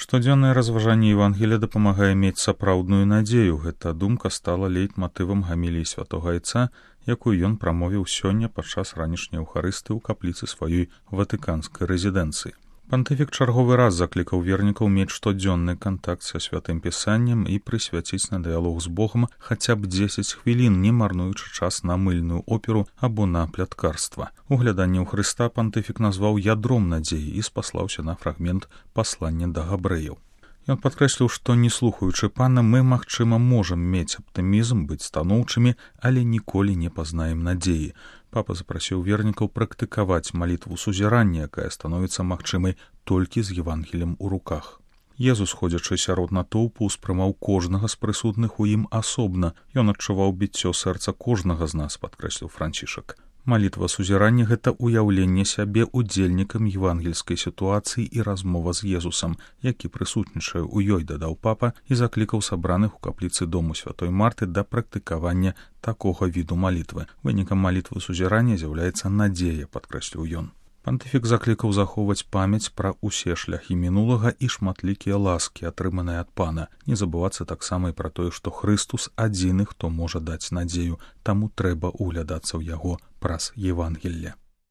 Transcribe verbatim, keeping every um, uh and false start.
Штодзённае разважанне Евангелія дапамагае мець сапраўдную надзею. Гэта думка стала лейтматывам гаміліі святога Айца, якую ён прамовіў сёння падчас ранішняй еўхарысты ў капліцы сваёй ватыканскай рэзідэнцыі. Пантыфік чарговы раз заклікаў вернікаў мець штодзённы кантакт са святым пісаннем і прысвяціць на дыялог з Богам хаця б дзесяць хвілін, не марнуючы час на мыльную оперу або на пляткарства. Угляданне ў Хрыста пантыфік назваў ядром надзеі і спаслаўся на фрагмент паслання да габрэяў. Ён падкрэсліў, што, не слухаючы пана, мы, магчыма, можам мець аптымізм, быць станоўчымі, але ніколі не пазнаем надзеі. Папа запрасіў вернікаў практыкаваць малітву сузірання, якая становіцца магчымай толькі з Евангелем у руках. Езус, ходзячы сярод натоўпу, успрымаў кожнага з прысутных у ім асобна. Ён адчуваў біццё сэрца кожнага з нас, падкрэсліў Францішак. Малітва сузірання — гэта ўяўленне сябе удзельнікам евангельскай сітуацыі і размова з Езусам, які прысутнічае ў ёй, дадаў папа і заклікаў сабраных у капліцы дому святой Марты да практыкавання такога віду малітвы. Вынікам малітвы сузірання з'яўляецца надзея, падкрэсліў ён. Пантыфік заклікаў захоўваць памяць пра ўсе шляхі мінулага і шматлікія ласкі, атрыманыя ад пана. Не забывацца таксама і пра тое, што Хрыстус адзіны, хто можа даць надзею, таму трэба углядацца ў яго праз Евангелле.